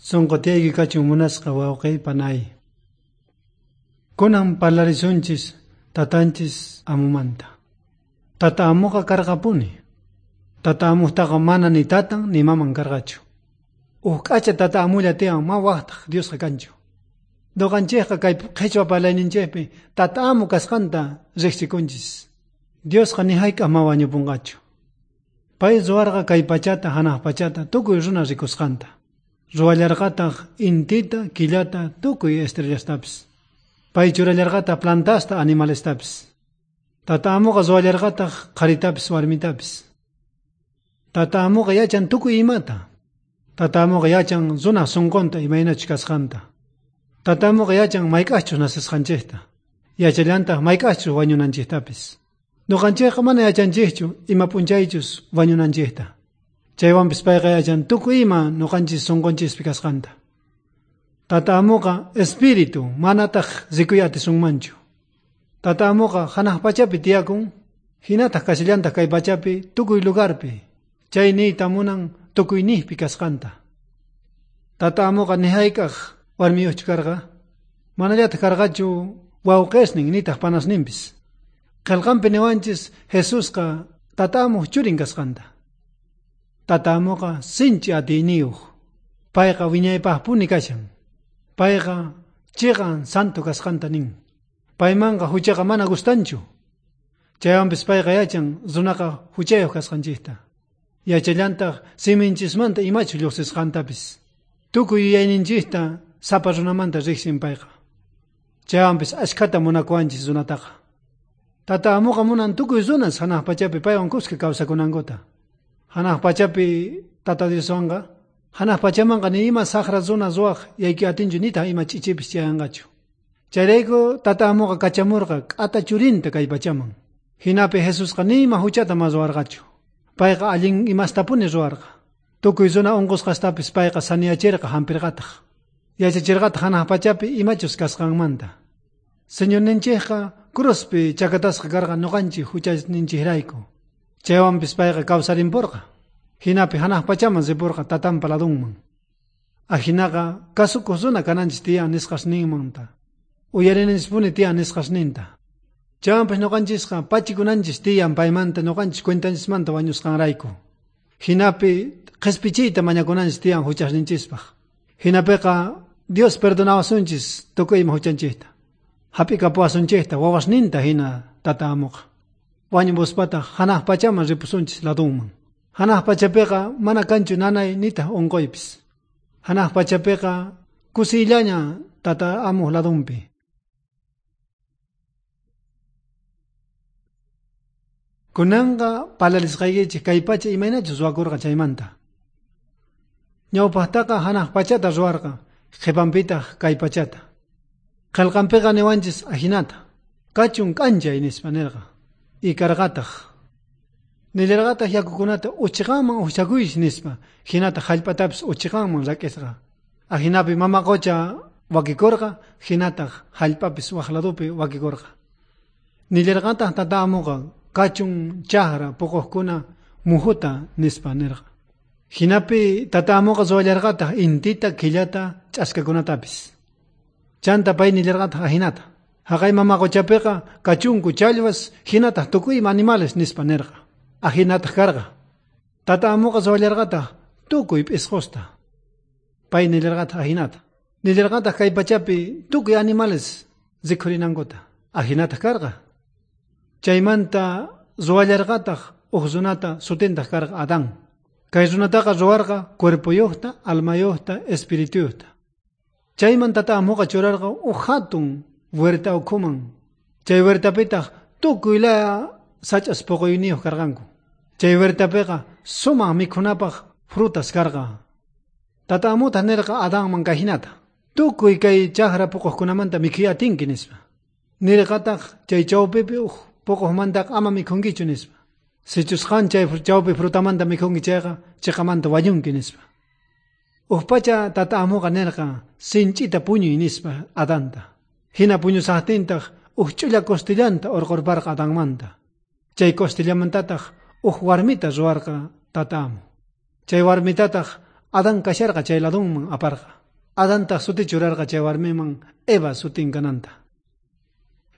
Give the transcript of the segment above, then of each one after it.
Sonqo tiyayki kachun munasqa wawqiy panay. Kunan parlarisunchis tatanchis amumanta. Tata amuqa karqapuni. Tata amuqtaqa mana ni tatan ni maman karqachu. Uj k'acha tata amulla tiyan ma waqtaq Diosqa kanchu. Noqanchikqa kay qhichwa parlayninchikpi tata amu kasqanta riqsikunchis. Diosqa ni hayk'aq ma wañupunqachu. Pay ruwarqa kay pachata hanaq pachata tukuy runa rikusqanta. Ruwallarqataq intita, killata, tukuy estrellastapis. Pay churallarqataq plantasta, animalestapis. Tata amuqa ruwallarqataq qharitapis warmitapis. Tata amuqa yachan tukuy imata. Tata amuqa yachan runaj sunqunta imaynachus kasqanta. Tata amuqa yachan mayk'aqchus nacesqanchikta. Yachallantaq mayk'aqchus wañunanchiktapis. Nuqanchikqa mana yachanchikchu ima p'unchaychus wañunanchikta. Chaywanpis payqa yachan tukuy ima nuqanchis sunqunchispi kasqanta. Tata amuqa espíritu manataq rikuy atisunmanchu. Tata amuqa hanaq pachapi tiyakun, hinataq kashallantaq kay pachapi tukuy lugarpi. Chay niyta munan tukuyniypi kasqanta. Tata amuqa ni hayk'aq warmiyuqchu karqa, manallataq karqachu wawqisnin nitaq panasninpis. Qillqanpi niwanchis Jesusqa tata amuq churin kasqanta. Tata amuqa sinchi atiyniyuq. Payqa wiñaypaqpuni kashan. Payqa chiqan santo kasqanta nin. Paymanqa huchaqa mana gustanchu. Chaywanpis payqa yachan runaqa huchayuq kasqanchikta. Yachallantaq siminchismanta imachu lluqsisqantapis. Tukuy yuyayninchikta sapa runamanta riqsin payqa. Chaywanpis ashkhata munakuwanchis runataqa. Tata amuqa munan tukuy runas hanaq pachapi paywan kuska kawsakunankuta. Hanaq pachapi tata Dioswanqa hanaq pachamanqa ni ima saqra runa ruwaq yaykuy atinchu nitaq ima ch'ichipis chayanqachu. Chayrayku tata amuqa kachamurqa k'ata churinta kay pachaman. Hinapi Jesusqa ni ima huchata ma ruwarqachu. Payqa allin imastapuni ruwarqa. Tukuy runa unqusqastapis payqa saniyachirqa hampirqataq. Yachachirqataq hanaq pachapi imachus kasqanmanta. Señorninchikqa cruzpi chakatasqa karqa nuqanchik huchasninchikrayku. Chaywanpis payqa kawsarinpurqa. Hinapi hanaq pachaman ripurqa tatanpa ladunman. Ajinaqa kasukuq runa kananchis tiyan nisqasninmanta. Uyarinanchispuni tiyan nisqasninta. Chaywanpis nuqanchisqa pachikunanchis tiyan paymanta nuqanchis cuentanchismanta wañusqanrayku. Hinapi qhispichiyta mañakunanchis tiyan huchasninchispaq. Hinapiqa Dios perdonawasunchis tukuy ima huchanchikta. Hap'ikapuwasunchikta wawasninta hina tata amuqa. Wañupuspataq hanaq pachaman ripusunchis ladunman. Hanaq pachapiqa mana kanchu nanay nitaq unquypis. Hanaq pachapiqa kusiyllaña tata amuq ladunpi. Kunanqa parlarisqaykichik kay pacha imaynachus ruwakurqa chaymanta. Ñawpaqtaqa hanaq pachata ruwarqa, qhipanpitaq kay pachata. Qillqanpiqa niwanchis ajinata. Kachun k'anchay nispa nirqa. Y karqataq. Nillarqataq yakukunata uchiqanman uqchakuychis nispa, hinataq hallp'atapis uchiqanman rak'isqa. Ajinapi mama qucha wakikurqa, hinataq hallp'apis waq ladupi wakikurqa. Nillarqataq tata amuqa kachun chakra puquqkuna mujuta nispa nirqa. Hinapi tata amuqa ruwallarqataq intita, killata, ch'askakunatapis. Chanta pay nillarqataq ajinata. Haqay mama quchapiqa kachunku challwas hinataq tukuy ima animales nispa nirqa. Ajinataq karqa. Tata amuqa ruwallarqataq tukuy p'isqusta. Pay nillarqataq ajinata. Nillarqataq kay pachapi tukuy animales rikhurinankuta. Ajinataq karqa. Chaymanta ruwallarqataq uj runata sutintaq karqa Adán. Kay runataqa ruwarqa cuerpoyuqta, almayuqta, espirituyuqta. Chayman tata amuqa churarqa uj hatun huerta ukhuman. Chay huertapitaq tukuy laya sach'as puquyniyuq karqanku. Chay huertapiqa sumaq mikhunapaq frutas karqa. Tata amutaq nirqa Adanman kayhinata. Tukuy kay chakra puquqkunamanta mikhuy atinki nispa. Nirqataq chay chawpipi uj puquqmantaqa ama mikhunkichu nispa. Sichus qan chay chawpi frutamanta mikhunki chayqa chiqamanta wañunki nispa. Uj pacha tata amuqa nirqa sinch'ita puñuy nispa Adanta. Hina puñusaqtintaq uj ch'ulla costillanta urqurparqa Adanmanta. Chay costillamantataq uj warmita ruwarqa tata amu. Chay warmitataq Adán kasharqa chay ladunman aparqa. Adantaj suti churarqa chay warmiman Eva sutin kananta.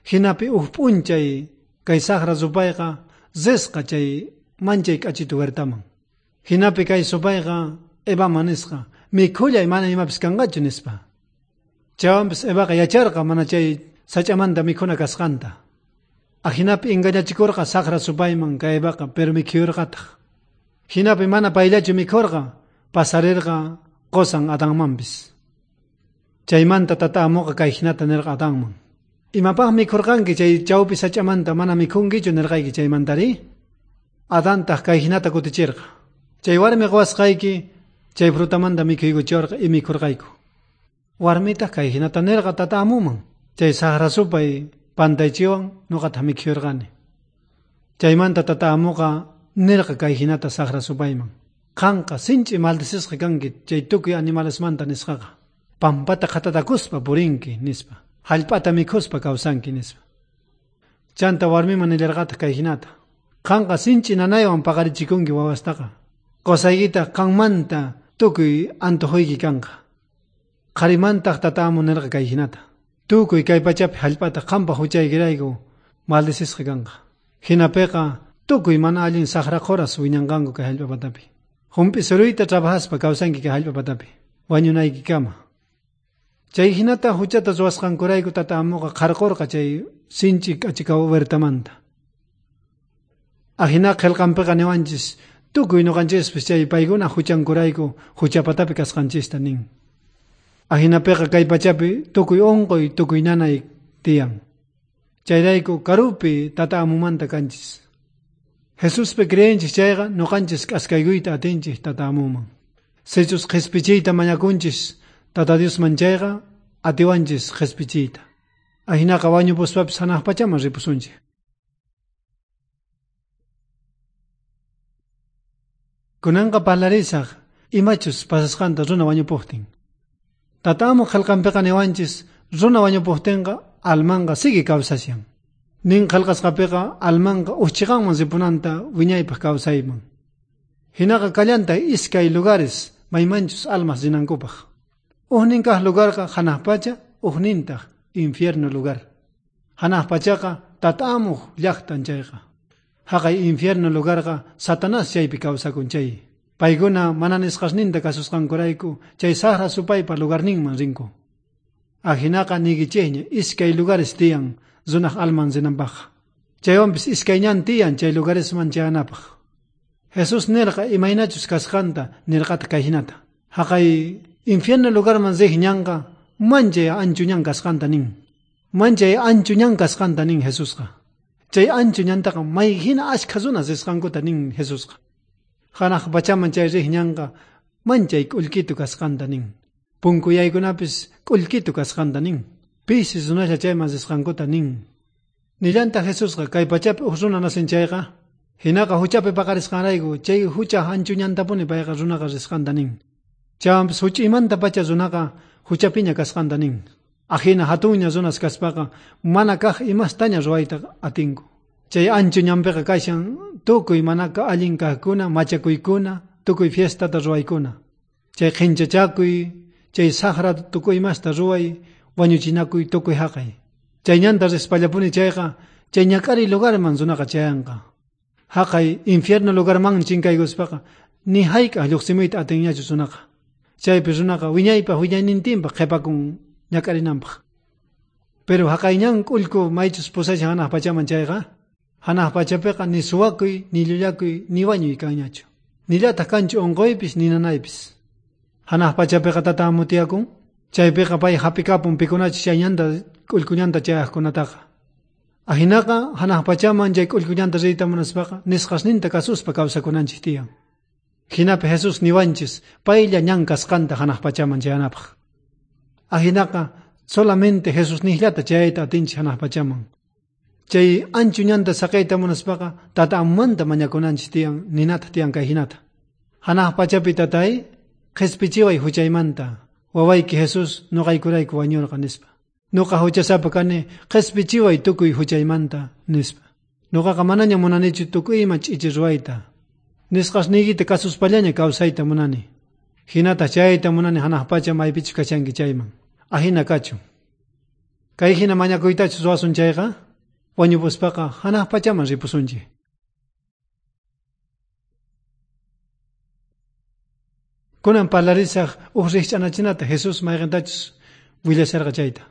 Jinapi uj p'unchay kay saqra supayqa risqa chay manchay k'achitu huertaman. Jinapi kay supayqa Evaman nisqa, mikhullay mana imapis kanqachu nispa. Chaywanpis Evaqa yacharqa mana chay sach'amanta mikhuna kasqanta. Ajinapi engañachikurqa saqra supayman kay Evaqa, pero mikhuyurqataq. Jinapi mana payllachu mikhurqa, pasarerqa qosan Adanmanpis. Chaymanta tata amuqa kay jinata nirqa Adanman. Imapaq mikhurqanki chay chawpi sach'amanta mana mikhunkichu nirqayki chaymantari? Adantaq kay jinata kutichirqa. Chay warmi quwasqayki chay frutamanta mikhuykuchiwarqa y mikhurqayku. Warmitaq kay jinata nirqa tata amuman. Chay saqra supay pantaychiwan nuqataq mikhuyurqani. Chaymanta tata amuqa nirqa kay jinata saqra supayman. Qanqa sinch'i maldicisqa kanki chay tukuy animalesmanta nisqaqa. Pampata qhatatakuspa purinki nispa. Hallp'ata mikhuspa kawsanki nispa. Chanta warmiman nillarqataq kay jinata. Qanqa sinch'i nanaywan paqarichikunki wawastaqa. Qosaykitaq qanmanta tukuy antojuyki kanqa. Qharimantaq tata amu nirqa kay jinata. Tukuy kay pachapi hallp'ata qanpaq huchaykirayku maldicisqa kanqa. Jinapiqa tukuy mana allin saqra qhuras wiñanqanku kay hallp'a patapi. Jump'i suruyta trabajaspa kawsanki kay hallp'a patapi. Wañunaykikama. Chay jinata huchata ruwasqankurayku tata amuqa qharqurqa chay sinch'i k'achika huertamanta. Ajina qillqanpiqa niwanchis tukuy nuqanchispis chay paykuna huchankurayku huchapatapi kasqanchista nin. Ajinapiqa kay pachapi tukuy unquy tukuy nanay tiyan. Chayrayku karupi tata amumanta kanchis. Jesuspi creenchis chayqa nuqanchis k'askaykuyta atinchis tata amuman. Sichus qhispichiyta mañakunchis tata Diosman chayqa atiwanchis qhispichiyta. Ajinaqa wañupuspapis hanaq pachaman ripusunchik. Kunanqa parlarisaq imachus pasasqanta runa wañupuqtin. Tata amu qillqanpiqa niwanchis runa wañupuqtinqa almanqa sigue kawsashan. Nin qillqasqapiqa almanqa uqchiqanman ripunanta wiñaypaq kawsayman. Hinaqa kallanta iskay lugares maymanchus almas rinankupaq. Ujnin kaq lugarqa hanaq pacha, ujnintaq infierno lugar. Hanaq pachaqa tata amuq llaqtan chayqa. Haqay infierno lugarqa Satanás chaypi kawsakun chay. Paykuna mana nisqasninta kasusqankurayku chay saqra supaypa lugarninman rinku. Ajinaqa niykichikña iskay lugares tiyan runaq alman rinanpaqqa. Chaywanpis iskay ñan tiyan chay lugaresman chayanapaq. Jesús nirqa imaynachus kasqanta nirqataq kay hinata. Haqay infierno lugarman riq ñanqa manchay anchu ñan kasqanta nin. Manchay anchu ñan kasqanta nin Jesusqa. Chay anchu ñantaqa may hina ashkha runas risqankuta nin Jesusqa. Hanaq pachaman chay riq ñanqa manchay k'ullkitu kasqanta nin. Punkuyaykunapis k'ullkitu kasqanta nin. Pisi runaslla chayman risqankuta nin. Nillantaq Jesusqa kay pachapi uj runa nacen chayqa, hinaqa huchapi paqarisqanrayku chay hucha anchu ñantapuni payqa runaqa risqanta nin. Chaywanpis huch'iymanta pacha runaqa huchapiña kasqanta nin. Ajina hatunña runas kaspaqa mana kaq imastaña ruwayta atinku. Chay anchu ñanpiqa kashan tukuy mana allin kaqkuna, machakuykuna, tukuy fiestata ruwaykuna. Chay qhinchachakuy, chay saqra tukuy imasta ruway, wañuchinakuy tukuy haqay. Chay ñanta rispallapuni chayqa, chay ñak'ariy lugarman runaqa chayanqa. Haqay infierno lugarman chinkaykuspaqa ni hayk'aq lluqsimuyta atinñachu runaqa. Chaypi runaqa wiñaypaq wiñaynintinpaq qhipakun ñak'arinanpaq. Pero haqay ñan k'ullku maychus pusashan hanaq pachaman chayqa, hanaq pachapiqa ni suwakuy, ni llullakuy, ni wañuy kanñachu. Nillataq kanchu unquypis, ni nanaypis. Hanaq pachapiqa tata amu tiyakun, chaypiqa pay hap'ikapun pikunachus chay ñanta k'ullku ñanta chayaqkunataqa. Ajinaqa hanaq pachaman chay k'ullku ñanta riyta munaspaqa nisqasninta kasuspa kawsakunanchik tiyan. Jinapi Jesús niwanchis paylla ñan kasqanta hanaq pachaman chayanapaq. Ajinaqa solamente Jesús nijllata chayayta atinchik hanaq pachaman. Chay anchu ñanta saqiyta munaspaqa tata amumanta mañakunanchik tiyan ninataq tiyan kay hinata. Hanaq pachapi tatay qhispichiway huchaymanta wawayki Jesús nuqaykurayku wañurqa nispa. Nuqa huchasapa kani qhispichiway tukuy huchaymanta nispa. Nuqaqa manaña munanichu tukuy ima ch'ichi ruwayta. Nisqasniykita kasuspallaña kawsayta munani. Hinataq chayta munani hanaq pacha maypichus kashanki chayman. Ajina kachun. Kay hina mañakuytachus ruwasun chayqa, wañupuspaqa hanaq pachaman ripusunchik. Kunan parlarisaq uj rikch'anachinata Jesús mayqintachus willasharqa chayta.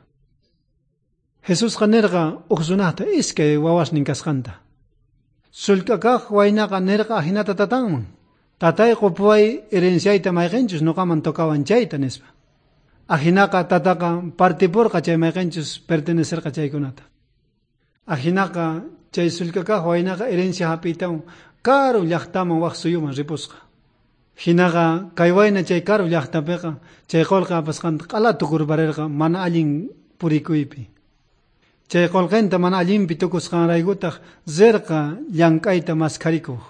Jesusqa nirqa uj runaqta iskay wawasnin kasqanta. Sullk'a kaq waynaqa nirqa ajinata tatanman. Tatay qupuway herenciayta mayqinchus nuqaman tocawan chayta nispa. Ajinaqa tataqa partipurqa chay mayqinchus pertenecerqa chaykunata. Ajinaqa chay sullk'a kaq waynaqa herencia hap'iytawan karu llaqtaman waq suyuman ripusqa. Hinaqa kay wayna chay karu llaqtapiqa chay qullqi apasqanta q'ala tukurparirqa mana allin purikuypi. Chay qullqinta mana allinpi tukusqanraykutaq rirqa llank'ayta maskharikuq.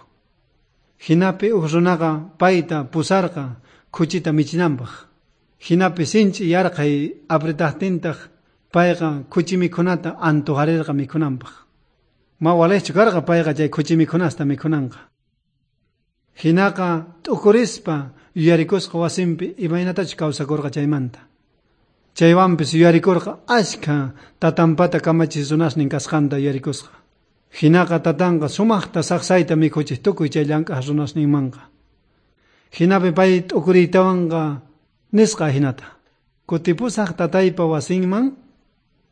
Hinapi uj runaqa payta pusarqa khuchita michinanpaq. Hinapi sinch'i yarqhay apretaqtintaq payqa khuchi mikhunata antojarirqa mikhunanpaq. Ma walejchu karqa payqa chay khuchi mikhunasta mikhunanqa. Hinaqa t'ukurispa yuyarikusqa wasinpi imaynatachus kawsakurqa chaymanta. Chaywanpis yuyarikurqa ashkha tatanpata kamachiq runasnin kasqanta yuyarikusqa. Hinaqa tatanqa sumaqta saqsayta mikhuchiq tukuy chay llank'aq runasninmanqa. Hinapi pay t'ukuriytawanqa nisqa hinata. Kutipusaq tataypa wasinman,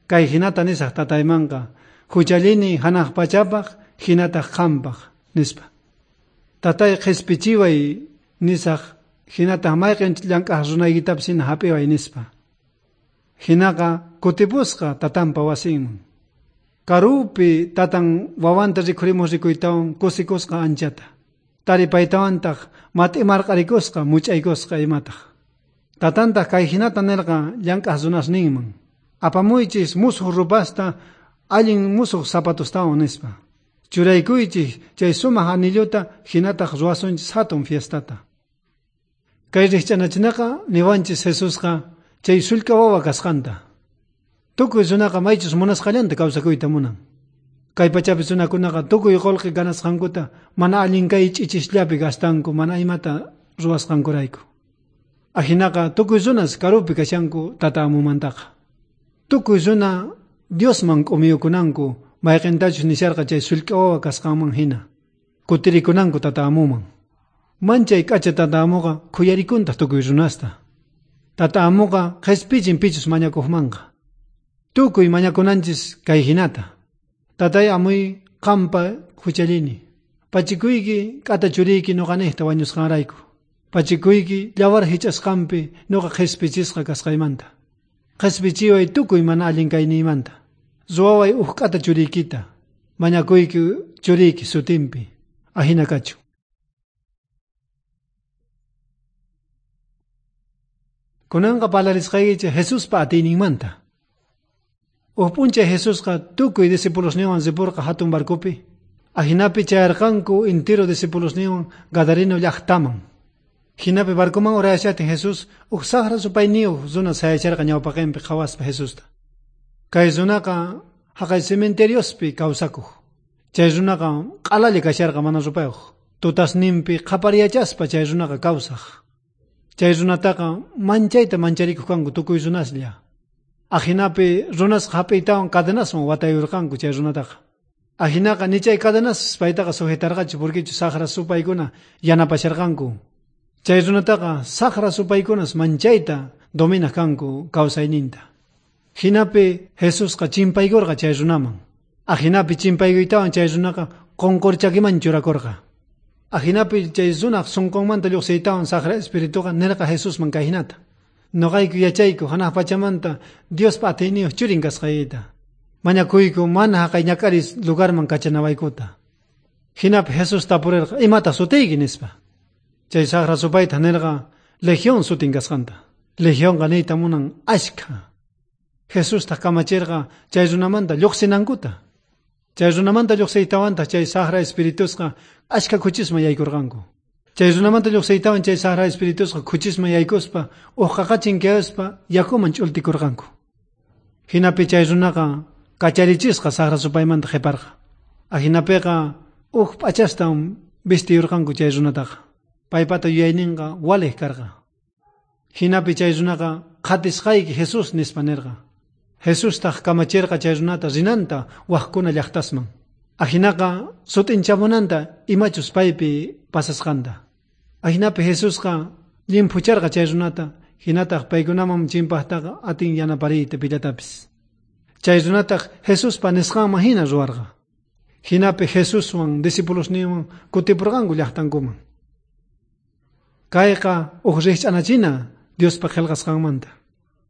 kay hinata nisaq tataymanqa, huchallini hanaq pachapaq, hinataq qampaq, nispa. Tatay qhispichiway nisaq, hinataq mayqin llank'aq runaykitapis hina hap'iway nispa. Hinaqa kutipusqa tatanpa wasinman. Karupi tatan wawanta rikhurimuq rikuytawan kusikusqa anchata. Taripaytawantaq mat'imarq'arikusqa much'aykusqa imataq. Tatantaq kay hinata nirqa llank'aq runasninman. Apamuychis musuq rupasta allin musuq zapatustawan nispa. Churaykuychis chay sumaq anilluta hinataq ruwasunchis hatun fiestata. Kay rikch'anachinaqa niwanchis Jesusqa chay sullk'a wawa kasqanta. Tukuy runaqa maychus munasqallanta kawsakuyta munan. Kay pachapi runakunaqa tukuy qullqi ganasqankuta mana allin kay ch'ichisllapi gastanku mana imata ruwasqankurayku. Ajinaqa tukuy runas karupi kashanku tata amumantaqa. Tukuy runa Diosman k'umiyukunanku mayqintachus nisharqa chay sullk'a wawa kasqanman hina. Kutirikunanku tata amuman. Manchay k'acha tata amuqa khuyarikuntaq tukuy runasta. Tata amuqa qhispichin pichus mañakuqmanqa. Tukuy mañakunanchis kay hinata. Tatay amuy qampa huchallini. Pachikuyki k'ata churiyki nuqaniqta wañusqanrayku. Pachikuyki llawar hich'asqanpi nuqa qhispichisqa kasqaymanta. Qhispichiway tukuy mana allin kayniymanta. Ruwaway uj k'ata churiykita. Mañakuyki churiyki sutinpi. Ajina kachun. Kunanqa parlarisqaykichik Jesuspa atiyninmanta. Uj p'unchay Jesusqa tukuy discipulosninwan ripurqa hatun barcopi. Ajinapi chayarqanku intiro discipulosninwan Gadareno llaqtaman. Hinapi barcoman urayashatin Jesús uj saqra supayniyuq runa sayacharqa ñawpaqinpi qhawaspa Jesusta. Kay runaqa haqay cementeriospi kawsakuq. Chay runaqa q'alalla kasharqa mana rupayuq. Tutasninpi qhapariyachaspa chay runaqa kawsaq. Chay runataqa manchayta mancharikuq kanku tukuy runaslla. Ajinapi runasqa hap'iytawan cadenaswan watayurqanku chay runataqa. Ajinaqa ni chay cadenas paytaqa sujetarqachu porquechu saqra supaykuna yanapasharqanku. Chay runataqa saqra supaykunas manchayta dominaq kanku kawsayninta. Hinapi Jesusqa chimpaykurqa chay runaman. Ajinapi chimpaykuytawan chay runaqa qunqurchakiman churakurqa. Ajinapi chay runaq sunqunmanta lluqsiytawan saqra espirituqa nirqa Jesusman kay hinata. Nuqayku yachayku hanaq pachamanta Diospa atiyniyuq churin kasqaykita. Mañakuyku mana haqay ñak'aris lugarman kachanawaykuta. Hinapi Jesús tapurirqa imata sutiyki nispa. Chay saqra supayta nirqa Legión sutin kasqanta. Legionqa niyta munan ashkha. Jesustaq kamachirqa chay runamanta lluqsinankuta. Chay runamanta lluqsiytawantaq chay saqra espiritusqa ashkha khuchisman yaykurqanku. Chay runamanta lluqsiytawan chay saqra espiritusqa khuchisman yaykuspa uj qaqachin kayaspa yakuman ch'ultikurqanku. Hinapi chay runaqa kacharichisqa saqra supaymanta qhiparqa. Ajinapiqa uj p'achastan vistiyurqanku chay runataqa. Paypata yuyayninqa waliq karqa. Jinapi chay runaqa qhatisqayki Jesús nispa nerqa. Jesustaq kamacherqa chay runata rinanta wajkuna llaqtasman. Ajinaqa sut'inchamunanta imachus paypi pasasqanta. Ajinapi Jesusqa llimphucharqa chay runata, hinataq paykunaman chimpaqtaqa atin yanapariyta pillatapis. Chay runataq Jesuspa nisqanman hina ruwarqa. Jinapi Jesuswan discipulosninwan kutipurqanku llaqtankuman. Kayqa uj rikch'anachina Diospa qillqasqanmanta.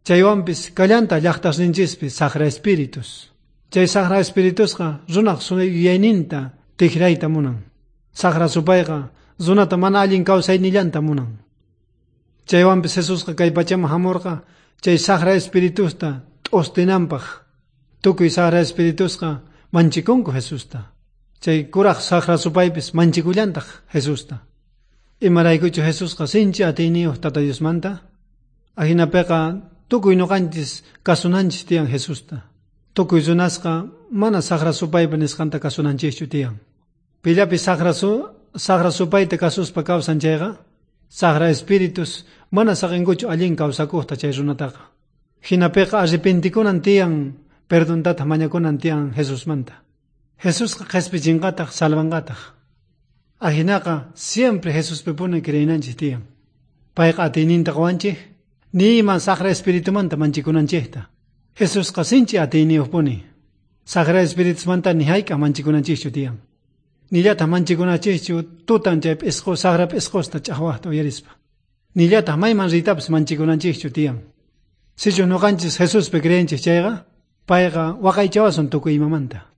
Chaywanpis kallanta llaqtasninchispi saqra espíritus. Chay saqra espiritusqa runaq yuyayninta tikrayta munan. Saqra supayqa runata mana allin kawsaynillanta munan. Chaywanpis Jesusqa kay pachaman hamurqa chay saqra espiritusta t'ustinanpaq. Tukuy saqra espiritusqa manchikunku Jesusta. Chay kuraq saqra supaypis manchikullantaq Jesusta. Imaraykuchu Jesusqa sinchi atiyniyuq Tata Diosmanta? Ajinapiqa tukuy ñuqanchis kasunanchis tiyan Jesusta. Tukuy runasqa mana saqra supaypa nisqanta kasunanchischu tiyan. Pillapis saqra supayta kasuspa kawsan chayqa, saqra espíritus mana saqinkuchu allin kawsakuqta chay runataqa. Jinapiqa arrepentikunan tiyan, perdontataq mañakunan tiyan Jesusmanta. Jesusqa qhispichinqataq, salvanqataq. Ajinaqa siempre Jesuspipuni creenanchis tiyan. Payqa atiyninta qowanchik, ni ima saqra espiritumanta manchikunanchikta. Jesusqa sinchi atiyniyuqpuni. Saqra espiritusmanta ni hayk'aq manchikunanchischu tiyan. Nillataq manchikunachischu tutan chay p'isqu saqra p'isqusta ch'aqwaqta uyarispa. Nillataq mayman riytapis manchikunanchischu tiyan. Sichus ñuqanchis Jesuspi creenchis chayqa, payqa waqaychawasun tukuy imamanta.